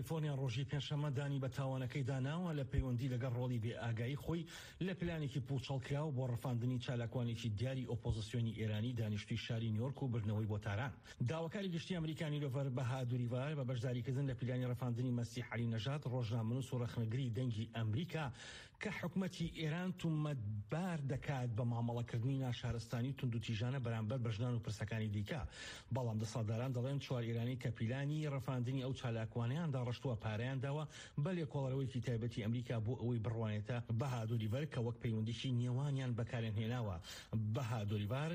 کالیفۆرنیا ڕۆژی پێنجشەممە دانی بە تاوانەکەیدا ناوە لە پەیوەندی لەگەڵ ڕۆڵی بێ ئاگایی خۆی لە پلانێکی پووچەڵکراو بۆ ڕفاندنی چالاکوانێکی دیاری ئۆپۆزسیۆنی ئێرانی دانیشتووی شاری نیۆرک و بردنەوەی بۆ تاران. داواکاری گشتی ئەمریکا نیلۆفەر بەهادوریڤار بە بەشداریکردن لە پیلانی ڕفاندنی مەسیح عەلی نەژاد ڕۆژنامەنووس و ڕەخنەگری دەنگی ئەمریکا کە حکومەتی ئێران تومەتبار دەکات بە مامەڵەکردنی ناشارستانی و توندوتیژانە بەرامبەر بە ژنان و پرسەکانی دیکە. بەڵام دەسەڵاتداران دەڵێن چوار ئێرانی کە پیلانی ڕفاندنی ئەو چالاکوانەیان داڕشتووە پارەیان داوە بە لێکۆڵەرەوەیەکی تایبەتی ئەمریکا بۆ ئەوەی بڕوانێتە بەهادوریڤەر کە وەک پەیوەندیی نێوانیان بەکاریان هێناوە. بەهادوریڤار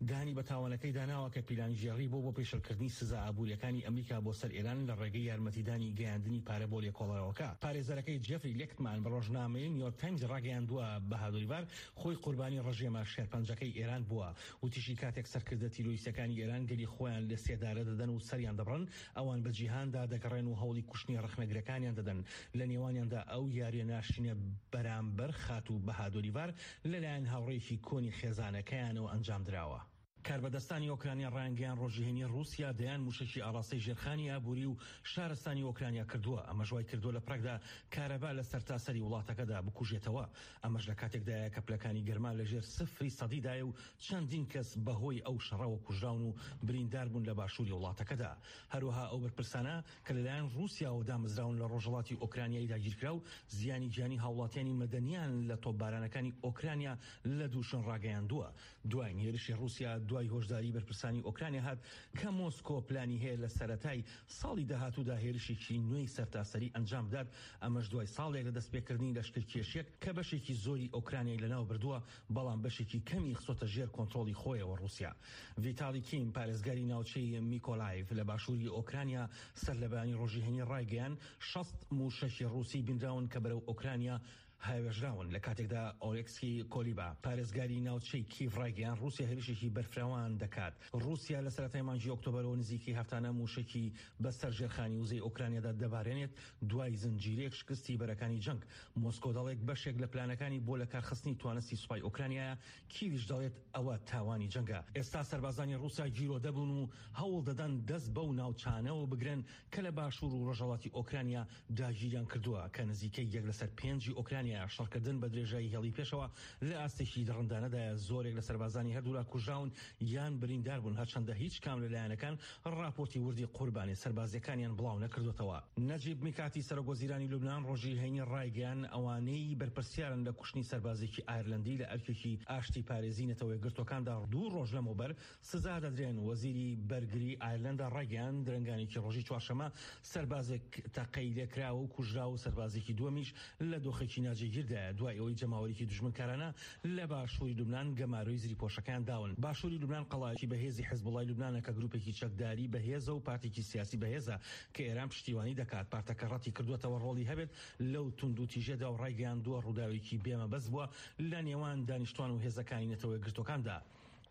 دانی بە تاوانەکەیدا ناوە کە پیلانگێڕی بووە بۆ پێشێلکردنی سزا ئابوورییەکانی ئەمریکا بۆ سەر ئێران لە ڕێگەی یارمەتیدانی گەیاندنی پارە بۆ لێکۆڵەرەوەکە. پارێزەرەکەی جێفری لێکتمان بە ڕۆژنامەی نیویۆرک تایمزی ڕاگەیاندووە، بەهادوریڤار خۆی قوربانی ڕژێمە شێرپەنجەکەی ئێران بووە. وتیشی کاتێک سەرکردە تیرۆریستەکانی ئێران گەلی خۆیان لە سێدارە دەدەن و سەریان دەبڕن، ئەوان بە جیهاندا دەگەڕێن و هەوڵی کوشتنی ڕەخنەگرەکانیان دەدەن، لە نێوانیاندا ئەو یارییە ناشرینە بەرامبەر خاتوو بەهادوریڤار لەلایەن هاوڕێیەکی کۆنی خێزانەکەیانەوە ئەنجامدراوە. کاربەدەستانی ئۆکرانیا ڕایانگەیاند ڕۆژی هەینی ڕووسیا دەیان مووشەکی ئاڕاستەی ژێرخانی ئابووری و شارستانی ئۆکرانیا کردووە، ئەمەش وایکردووە لە پراگدا کارەبا لە سەرتاسەری وڵاتەکەدا بکوژێتەوە. ئەمەش لە کاتێکدایە کە پلەکانی گەرما لە ژێر سفری سەدیدایە و چەندین کەس بەهۆی ئەو شەڕەوە کوژراون و برینداربوون لە باشووری وڵاتەکەدا. هەروەها ئەو بەرپرسانە کە لەلایەن ڕووسیاوە دامەزراون لە ڕۆژهەڵاتی ئۆکرانیای داگیرکراو، زیانی گیانی هاوڵاتیانی مەدەنییان لە تۆپبارانەکانی ئۆکرانیا لە دوو شوێن ڕاگەیاندووە. دواین هێرشی ڕووسیا دوای هۆشداریی بەرپرسانی ئۆکرانیا هات کە مۆسکۆ پلانی هەیە لە سەرەتای ساڵی داهاتوودا هێرشێکی نوێی سەرتاسەری ئەنجام بدات، ئەمەش دوای ساڵێک لە دەستپێکردنی لەشکرکێشییەک کە بەشێکی زۆری ئۆکرانیای لەناوبردووە، بەڵام بەشێکی کەمی خستۆتە ژێر کۆنترۆڵی خۆیەوە. ڕووسیا. ڤیتالی کیم، پارێزگاری ناوچەی میکۆلایڤ لە باشووری ئۆکرانیا سەرلەبەیانی ڕۆژی هەینی ڕایگەیاند، 60 مووشەکی ڕووسی بینراون کە بەرەو ئۆکرانیا هاوێژراون، لە کاتێکدا ئۆلێکسی کۆلیبا، پارێزگاری ناوچەی کیڤ ڕایگەیاند، ڕووسیا هێرشێکی بەرفراوان دەکات. ڕووسیا لە سەرەتای مانگی ئۆکتۆبەرەوە نزیکەی هەفتانە مووشەکی بەسەر ژێرخانی وزەی ئۆکرانیادا دەبارێنێت، دوای زنجیرەیەک شکستی بەرەکانی جەنگ. مۆسکۆ دەڵێت بەشێک لە پلانەکانی بۆ لەکارخستنی توانستی سوپای ئۆکرانیایە، کیڤیش دەڵێت ئەوە تاوانی جەنگە. ئێستا سەربازانی ڕووسیا گیرۆدە بوون و هەوڵ دەدەن دەست بەو ناوچانەوە بگرن کە لە باشوور و ڕۆژهەڵاتی ئۆکرانیا داگیریان کردووە کە نزیکەی یەک لەسەر پێنجی ئۆکرانیایە. شەڕکردن بە درێژایی هێڵی پێشەوە لە ئاستێکی دڕندانەدایە، زۆرێک لە سەربازانی هەردوولا کوژراون یان بریندار بوون، هەرچەندە هیچ کام لە لایەنەکان ڕاپۆرتی وردی قوربانیە سەربازییەکانیان بڵاو نەکردۆتەوە. نەجیب میکاتی سەرۆک وەزیرانی لوبنان ڕۆژی هەینی ڕایگەیاند، ئەوانەی بەرپرسیارن لە کوشتنی سەربازێکی ئایرلەندی لە ئەرکێکی ئاشتیپارێزی نەتەوە یەکگرتووەکاندا دوو ڕۆژ لەمەوبەر سزا دەدرێن. وەزیری بەرگری ئایرلەندا ڕایگەیاند، درەنگانێکی ڕۆژی چوارشەممە سەربازێک تەقەی لێکراوە و کوژرا و سەربازێکی دووەمیش لە دۆخێکی ناجێگیردایە دوای ئەوەی جەماوەرێکی دوژمنکارانە لە باشووری لوبنان گەمارۆی زریپۆشەکەیان داون. باشووری لوبنان قەڵایەکی بەهێزی حزبوڵای لوبنانە کە گروپێکی چەکداری بەهێزە و پارتێکی سیاسی بەهێزە کە ئێران پشتیوانی دەکات. پارتەکە ڕەتی کردووەتەوە ڕۆڵی هەبێت لەو توندوتیژیەدا و ڕایگەیاندووە ڕووداوێکی بێ مەبەست بووە لە نێوان دانیشتوان و هێزەکانی نەتەوە یەکگرتووەکاندا.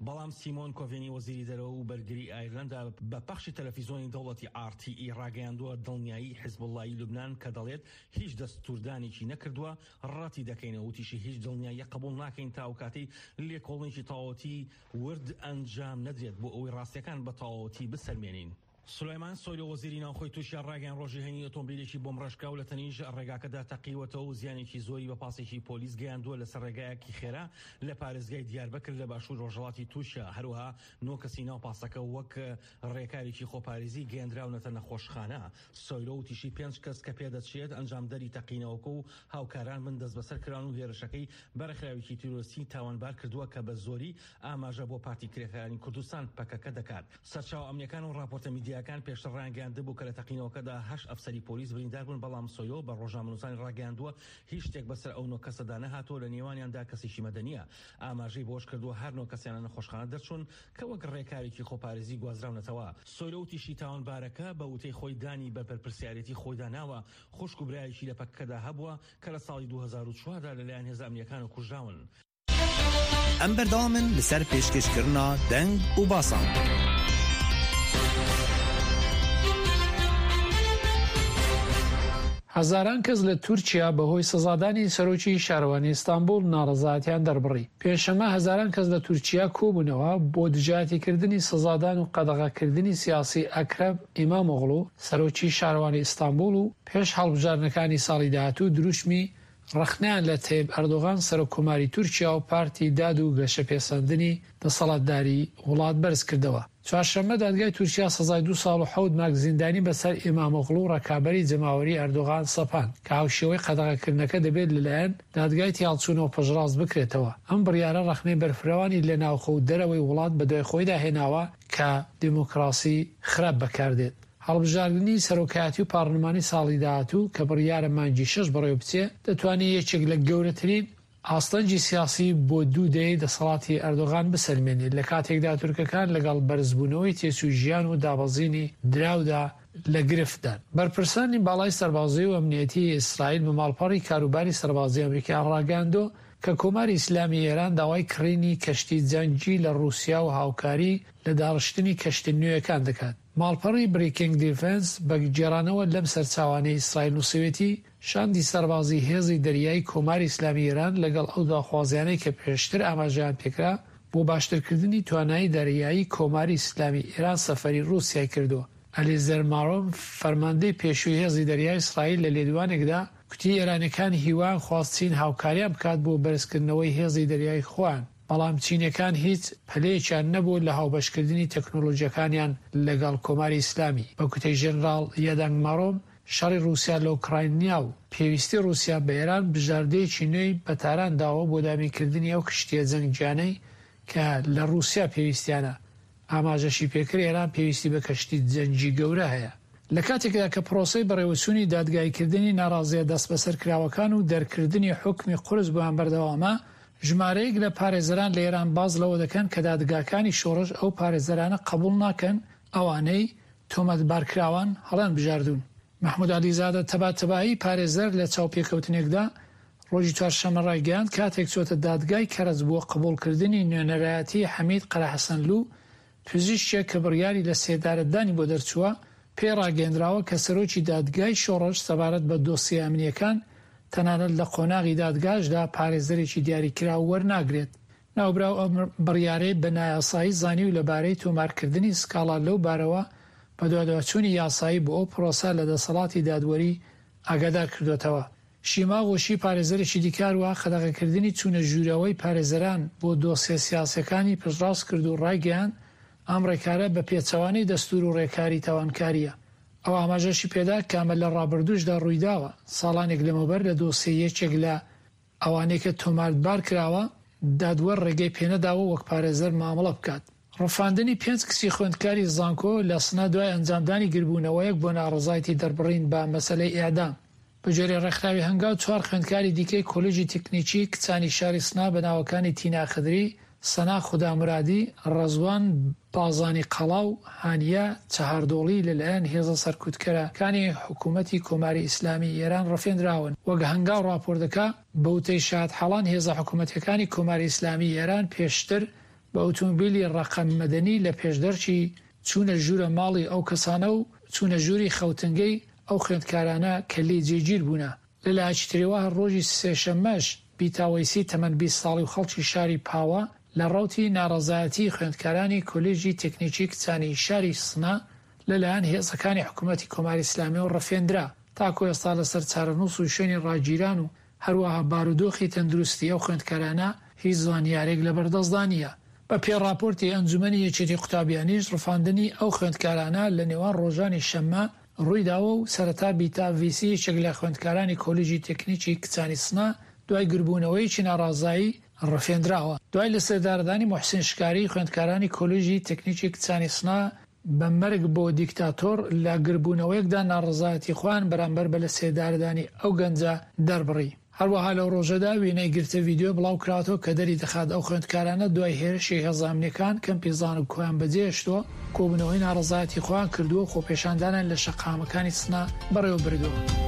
بەڵام سیمۆن کۆڤێنی وەزیری دەرەوە و بەرگری ئایرلەندا بە پەخشی تەلەفیزۆنی دەوڵەتی ئاڕ تی ئی ڕاگەیاندووە دڵنیایی حزبوڵڵای لوبنان کە دەڵێت هیچ دەستوردانێکی نەکردووە ڕەتی دەکەینەوە وتیشی هیچ دڵنیاییەک قبوڵ ناکەین تا ئەوکاتەی لێکۆڵینێکی تەواوەتی ورد ئەنجام نەدرێت بۆ ئەوەی ڕاستیەکان بە تەواوەتی بسەلمێنین. سولەیمان سۆیلۆ وەزیری ناوخۆی تورکیا ڕایگەیاند ڕۆژی هەینی ئۆتۆمبیلێکی بۆمبڕێژکراو لە تەنیشت ڕێگاکەدا تەقیوەتەوە و زیانێکی زۆری بە پاسێکی پۆلیس گەیاندووە لەسەر ڕێگایەکی خێرا لە پارێزگای دیاربەکر لە باشوور ڕۆژهەڵاتی تورکیا هەروەها نۆ کەسی ناو پاسەکە وەک ڕێکارێکی خۆپارێزی گەیەندراونەتە نەخۆشخانە. سۆیلۆ وتیشی پێنج کەس کە پێدەچێت ئەنجامدەری تەقینەوەکە و هاوکاران بن دەستبەسەر کران و هێرشەکەی بە ڕێکخراوێکی تیرۆریستی تاوانبار کردووە کە بە زۆری ئاماژە بۆ پارتی کرێکارانی کوردستان، پەکەکە، دەکات. سەرچاوە ئەمنییەکان و ڕاپۆرتە میدیایەکان پێشتر ڕایانگەیاندبوو کە لە تەقینەوەکەدا هەشت ئەفسەری پۆلیس بریندار بوون، بەڵام سۆیۆ بە ڕۆژنامەنووسانی ڕاگەیاندووە هیچ شتێک بەسەر ئەو نۆ کەسەدا نەهاتووە لە نێوانیاندا کەسێکی مەدەنییە. ئاماژەی بەوەشکردووە هەر نۆ کەسیان لە نەخۆشخانە دەرچوون کە وەک ڕێکارێکی خۆپارێزی گوازراونەتەوە. سۆیلۆ وتیشی تاوانبارەکە بە وتەی خۆی دانی بە بەرپرسیارێتی خۆیدا ناوە، خوشک و برایەکی لە پەکەکەدا هەبووە کە لە ساڵی 2004 دا لەلایەن هێزە ئەمنییەکانەوە کوژراون. ئەم بەردەوامن لەسەر پێشکەشکردنا دەنگ و باسان. هەزاران کەس لە تورکیا بەهۆی سزادانی سەرۆکی شارەوانی ئیستانبوڵ ناڕەزایەتیان دەربڕی. پێنجشەممە هەزاران کەس لە تورکیا کۆبوونەوە بۆ دژایەتیکردنی سزادان و قەدەغەکردنی سیاسی ئەکرەم ئیمامئۆغڵو سەرۆکی شارەوانی ئیستانبوڵ و پێش هەڵبژاردنەکانی ساڵی داهاتوو دروشمی ڕەخنەیان لە تەیب ئەردۆغان سەرۆک کۆماری تورکیا و پارتی داد و گەشەپێسەندنی دەسەڵاتداری وڵات بەرزکردەوە. چوارشەممە دادگای تورکیا سزای دوو ساڵ و حەوت مانگ زیندانی بەسەر ئیمامئۆغڵو ڕەکابەری جەماوەری ئەردۆغان سەپاند کە هاوشێوەی قەدەغەکردنەکە دەبێت لەلایەن دادگای تێهەڵچوونەوە پشتڕاست بکرێتەوە. ئەم بڕیارە ڕەخنەی بەرفرەوانی لە ناوخۆ و دەرەوەی وڵات بەدوای خۆیدا هێناوە کە دیموکراسی خراپ بەکاردێت. هەڵبژاردنی سەرۆکایەتی و پارلمانی ساڵی داهاتوو کە بڕیارە مانگی شەش بەڕێوەبچێ، دەتوانێت یەکێک لە گەورەترین ئاستەنگی سیاسی بۆ دوو دەیەی دەسەڵاتی ئەردۆغان بسەلمێنێت، لە کاتێکدا تورکەکان لەگەڵ بەرزبوونەوەی تێچووی ژیان و دابەزینی دراودا لە گرفتدان. بەرپرسانی باڵای سەربازی و ئەمنیەتیی ئیسرائیل بە ماڵپەڕی کاروباری سەربازی ئەمریکایان ڕاگەیاندووە کە کۆماری ئیسلامی ئێران داوای کڕینی کەشتی جەنگی لە ڕووسیا و هاوکاری لە داڕشتنی کەشتە نوێیەکان دەکات. ماڵپەڕی بریکینگ دیفێنس بە گێڕانەوە لەم سەرچاوانەی ئیسرائیل نووسیوێتی، شاندی سەربازی هێزی دەریایی کۆماری ئیسلامی ئێران لەگەڵ ئەو داخوازیانەی کە پێشتر ئاماژەیان پێکرا بۆ باشترکردنی توانایی دەریایی کۆماری ئیسلامی ئێران سەفەری ڕووسیای کردووە. ئەلیزەر مارۆم فەرماندەی پێشووی هێزی دەریای ئیسرائیل لە لێدوانێکدا کوتی ئێرانیەکان هیوایان خواست چین هاوکاریان بکات بۆ بەرزکردنەوەی هێزی دەریایی خۆیان، بەڵام چینیەکان هیچ پەلەیەکیان نەبوو لە هاوبەشکردنی تەکنۆلۆژیەکانیان لەگەڵ کۆماری ئیسلامی، بە گوتەی ژێنراڵ یەدەنگ مارۆم، شەڕی ڕووسیا لە ئۆکراینیا و پێویستی ڕووسیا بە ئێران بژاردەیەکی نوێی بە تاران داوە بۆ دابینکردنی ئەو کشتییە جەنگییانەی کە لە ڕووسیا پێویستیانە، ئاماژەشی پێکرد ئێران پێویستی بە کەشتی جەنگی گەورە هەیە. لە کاتێکدا کە پرۆسەی بەڕێوەچوونی دادگاییکردنی ناڕازییە دەستبەسەرکراوەکان و دەرکردنی حوکمی قورس بۆیان بەردەوامە، ژمارەیەک لە پارێزەران لە ئێران باس لەوە دەکەن کە دادگاکانی شۆڕش ئەو پارێزەرانە قبوڵ ناکەن ئەوانەی تۆمەتبارکراوان هەڵیانبژاردوون. مەحمود عەلیزادە تەباتەبایی پارێزەر لە چاوپێکەوتنێکدا ڕۆژی چوارشەممە ڕایگەیاند کاتێک چۆتە دادگای کەرەج بۆ قبوڵکردنی نوێنەرایەتی حەمید قەرەحەسەنلوو پزیشکێک کە بڕیاری لە سێدارەدانی بۆ دەرچووە پێی ڕاگەیەندراوە کە سەرۆکی دادگای شۆڕش سەبارەت بە دۆسیە ئەمنییەکان تەنانەت لە قۆناغی دادگاشدا پارێزەرێکی دیاریکراو وەرناگرێت. ناوبراو ئەم بڕیارەی بە نایاسایی زانی و لەبارەی تۆمارکردنی سکاڵا لەو بارەوە بەدواداچوونی یاسایی بۆ ئەو پرۆسە لە دەسەڵاتی دادوەری ئاگادار کردۆتەوە. شیما غوشی پارێزەرێکی دیکە هەروەها قەدەغەکردنی چوونە ژوورەوەی پارێزەران بۆ دۆسیە سیاسیەکانی پشتڕاست کرد و ڕایگەیاند ئەم ڕێکارە بە پێچەوانەی دەستوور و ڕێکاری تاوانکارییە. ئەو ئاماژەشی پێدا کە ئەمە لە ڕابردووشدا ڕوویداوە، ساڵانێک لەمەوبەر لە دۆسیەی یەکێک لە ئەوانەی کە تۆمارتبار کراوە، دادوەر ڕێگەی پێنەداوە وەک پارێزەر مامەڵە بکات. ڕفاندنی پێنج کچی خوێندکاری زانکۆ لە سنە دوای ئەنجامدانی گربوونەوەیەک بۆ ناڕەزایتی دەربڕین بە مەسەلەی ئێعدام. بەگوێرەی ڕێکخراوی هەنگاو چوار خوێندکاری دیکەی کۆلێژی تەکنیکی کچانی شاری سنە بە ناوەکانی تینا خدری، سەنا خودامورادی، ڕەزوان بازانی قەڵا و هانیە چەهاردۆڵی لە لایەن هێزە سەرکوتکەرە کانی حکوومەتی کۆماری ئیسلامیی ئێران ڕفێندراون. وەک هەنگاو ڕاپۆرت دەکا، بە وتەی شاهدحاڵان هێزە حکوومەتییەکانی کۆماری ئیسلامیی ئێران پێشتر بە ئوتومبیلی ڕەقەم مەدەنی لە پێشدەرکی چوونە ژوورە ماڵی ئەو کەسانە و چوونە ژووری خەوتنگەی ئەو خوێندکارانە کە لێی جێگیر بوونە. لە لایەکی ترەوە هەر ڕۆژی سێشەممەش بیتا وەیسی تەمەن 20 ساڵی و خەڵکی شاری پاوە لە ڕەوتی ناڕەزایەتیی خوێندکارانی کۆلێژی تێکنیکی کچانی شاری سنە لە لایەن هێزەکانی حکوومەتی کۆماری ئیسلامییەوە ڕفێندرا. تاکوو ئێستا لەسەر چارەنووس و شوێنی ڕاگیران و هەروەها بارودۆخی تەندروستی ئەو خوێندکارانە هیچ زانیارێک لەبەردەستدا نییە. بە پێی ڕاپۆرتی ئەنجومەنی یەکێتی قوتابیانیش ڕفاندنی ئەو خوێندکارانە لە نێوان ڕۆژانی شەممە ڕوویداوە و سەرەتا بیتا ڤیسی یەکێک لە خوێندکارانی کۆلیژی تەکنیکی کچانی سنە دوای گربوونەوەیەکی ناڕازایی ڕفێندراوە. دوای لەسێدارەدانی موحسین شکاری خوێندکارانی کۆلیژی تەکنیکی کچانی سنە بە مەرگ بۆ دیکتاتۆر لە گربوونەوەیەکدا ناڕەزایەتی خۆیان بەرامبەر بە لەسێدارەدانی ئەو گەنجە دەربڕی. هەروەها لەو ڕۆژەدا وێنەی گرتە ڤیدیۆ بڵاوکراوەتەوە کە دەریدەخات ئەو خوێندکارانە دوای هێرشی هێزە ئەمنیەکان کەمپی زانکۆیان بەجێهێشتووە، کۆبوونەوەی ناڕەزایەتی خۆیان کردووە و خۆپێشاندانیان لە شەقامەکانی سنە بەڕێوەبردووە.